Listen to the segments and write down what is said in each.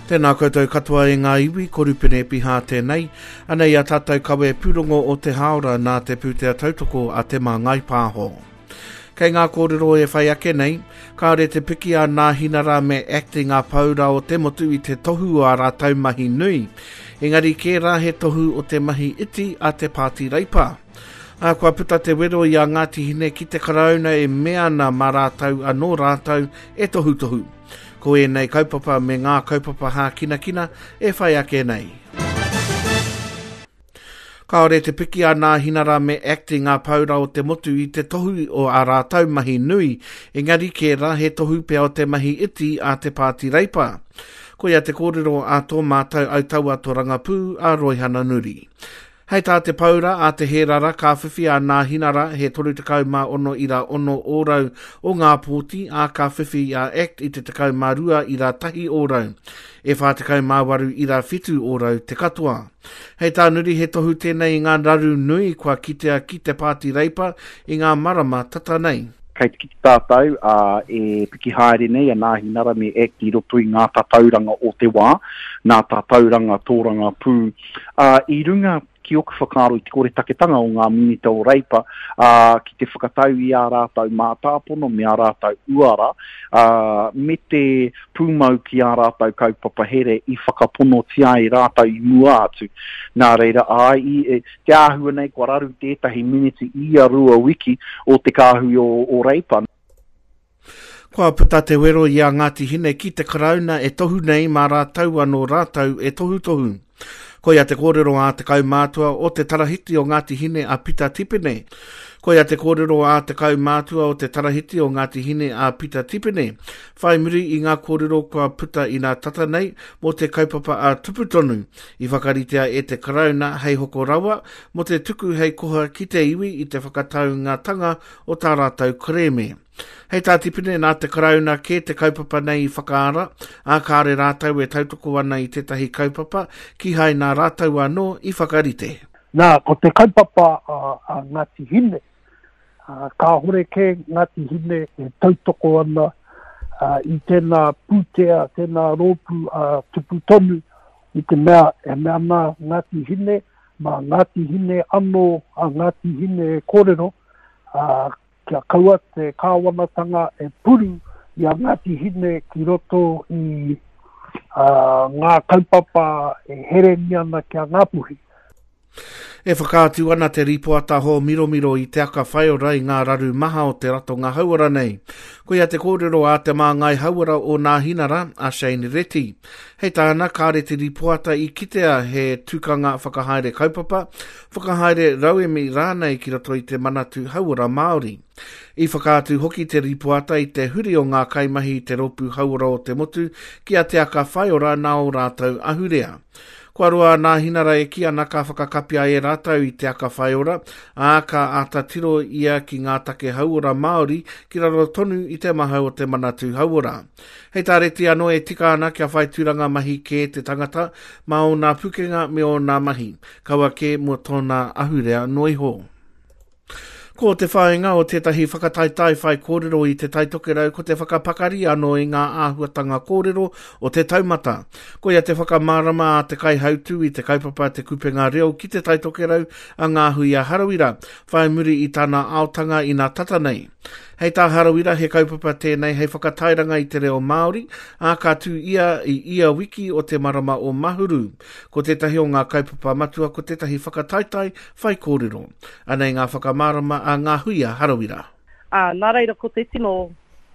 Tēnā koutou katoa e ngā iwi, ko Rupene Epiha tēnei. Anei a tātou kawe pūrongo o te hāora nā te pūtea tautoko a Te Māngai Pāho. Kei ngā kōrero e whai ake nei, kāore te piki a Nāhinara me Act i ngā paura o te motu i te tohu o ā rātou mahi nui. Engari kē rā he tohu o te mahi iti a te Pāti Reipa. Ā, kua puta te wero i a Ngāti Hine ki te Karauna e mea ana mā rātou anō rātou e tohutohu. Ko ēnei kaupapa me ngā kaupapa hākinakina e whai ake nei. Kāore te piki a Nāhinara me Act i ngā paura o te motu i te tohu o ā rātou mahi nui, engari kē rā he tohu pea o te mahi iti a te Pāti Reipa. Koia te kōrero a tō mātou autaua torangapū a Roihana Nuri. Hei tā te paura a Te Hērara ka whiwhi a Nāhinara he 36 ira 6 ōrau o ngā pōti, ā, ka whiwhi a Act i te 12 ira 1 ōrau. E 48 ira 7 ōrau te katoa. Hei tā Nuri he tohu tēnei i ngā raru nui kua kitea ki te Pāti Reipa i ngā marama tata nei. Kei te kite tātou, ā, e piki haere nei a Nāhinara me Act i roto i ngā tatauranga o te wā, nā tatauranga tōrangapū Ā, i runga ki oku whakaaro i te koretaketanga o ngā minita o Reipa, ā, ki te whakatau i ā rātou mātāpono me ā rātou uara, ā, me te pūmau ki ā rātou kaupapa here i whakaponotia ai rātou i mua atu. Nā reira, āe, i, e, te āhua nei kua raru tētahi miniti i ia rua wiki o te kāhui o, o Reipa. Kua puta te wero i a Ngāti Hine ki te Karauna e tohu nei mā rātou anō rātou e tohutohu. Koia te kōrero a te kaumātua o te Tarahiti o Ngāti Hine a Pita Tipene. Koia te kōrero a te kaumātua o te Tarahiti o Ngāti Hine a Pita Tipene, whai muri i ngā kōrero kua puta inā tata nei mō te kaupapa a Tupu Tonu i whakaritea e te Karauna hei hoko rawa mō te tuku hei koha ki te iwi i te whakataungatanga o tā rātou kerēme. Hei tā Tipene, nā te Karauna kē te kaupapa nei i whakaara, ā, kāore rātou e tautoko ana i tētahi kaupapa, kīhai nā rātou anō i whakarite. Nā, ko te kaupapa a Ngāti Hine, kāhore kē Ngāti Hine e tautoko ana i tēnā pūtea, tēnā rōpū a Tupu Tonu, i te mea e mea ana Ngāti Hine, mā Ngāti Hine anō a Ngāti Hine e kōrero, ā, kia kaua te kāwanatanga e puru i a Ngāti Hine ki roto i ngā kaupapa e herengia ana ki a Ngāpuhi. E whakaatu ana te rīpoata hōmiromiro i Te Aka Whaiora i ngā raru maha o te ratonga hauora nei. Koia te kōrero a te māngai hauora o Nāhinara, a Shane Reti. Hei tāna, kāre te rīpoata i kitea he tukanga whakahaere kaupapa, whakahaere rauemi rānei ki roto i te Manatū Hauora Māori. I whakaatu hoki te rīpoata i te huri o ngā kaimahi i te Rōpū Hauora o te Motu ki a Te Aka Whaiora nā ō rātou ahurea. Kua roa a Nāhinara e kī ana ka whakakapia e rātou i Te Aka Whaiora, ā, ka āta tiro ia ki ngā take hauora Māori ki raro tonu i te mahau o te Manatū Hauora. Hei tā Reti anō e tika ana kia whai tūranga mahi kē te tangata mā ōna pukenga me ōna mahi, kaua kē mō tōna ahurea noa iho. Ko te whāinga o tētahi whakataetae whaikōrero i Te Tai Tokerau ko te whakapakari anō i ngā āhuatanga kōrero o te taumata. Koia te whakamārama a te kaihautū i te kaupapa Te Kupenga Reo ki Te Tai Tokerau a Ngāhuia Harawira, whai muri i tana aotanga ina tata nei. Hei tā Harawira he kaupapa tēnei hei whakatairanga i te reo Māori, ā, ka tū ia i ia wiki o te marama o Mahuru. Ko tētahi o ngā kaupapa matua ko tētahi whakataetae whaikōrero. Anei ngā whakamārama a Ngāhuia Harawira. Ā, nā reira ko te tino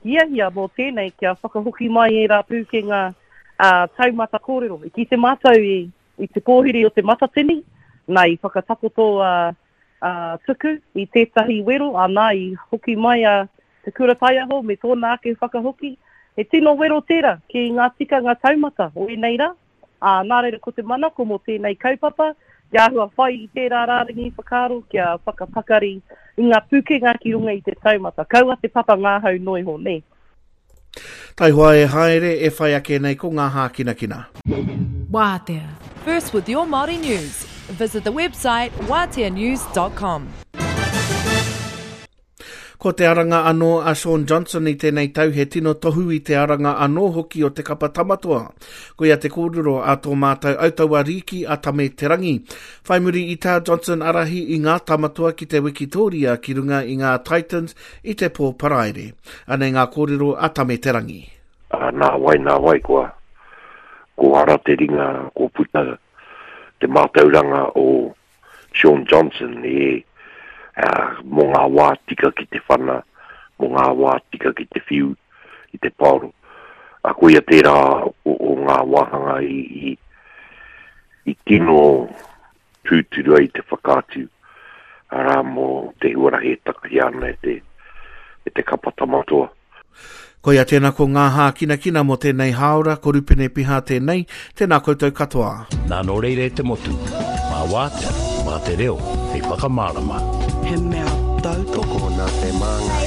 hiahia mō tēnei kia whakahoki mai ērā pūkenga ā, taumata kōrero. I kite mātou i, i te pōhiri o te Matatini, nā i whakatakoto a, a Tuku i tētahi wero, ā, nā i hoki mai a Te Kura Taiaho me tōna ake whakahoki. He tino wero tērā ki ngā tikanga taumata o ēnei rā. Ā, nā reira ko te manako mō tēnei kaupapa, kia āhua whai i tērā rārangi whakaaro, kia whakapakari i ngā pūkenga ki runga i te taumata. Kaua te papa ngahau noa iho, nē. Taihoa e haere, e whai ake nei ko ngā hākinakina. Wātea. First with your Māori news. Visit the website wāteanews.com. Ko te aranga anō a Shaun Johnson i tēnei tau he tino tohu i te aranga anō hoki o te kapa Tamatoa. Koia te kōrero a tō mātou autaua rīki a Tame Te Rangi. Whai muri i tā Johnson arahi i ngā Tamatoa ki te wikitōria ki runga i ngā Titans i te pō Paraire. Anei ngā kōrero a Tame Te Rangi. Ā, nā wai, nā wai kua, kua ara te ringa, kua puta te mātauranga o Shaun Johnson e, ā, mō ngā wā tika ki te whana, mō ngā wā tika ki te whiu i te paoro. Ā, koia tērā o, o ngā wāhanga i, i, i tino tūturu ai te whakaatu, arā, mō te huarahi e takahia ana e te, e te kapa Tamatoa. Koia tēnā ko ngā hākinakina mō tēnei hāora, ko Rupene Piha tēnei, tēnā koutou katoa. Nā nō reira e te motu, mā Wātea, mā te reo hei whakamārama. He mea tautoko nā te māngai.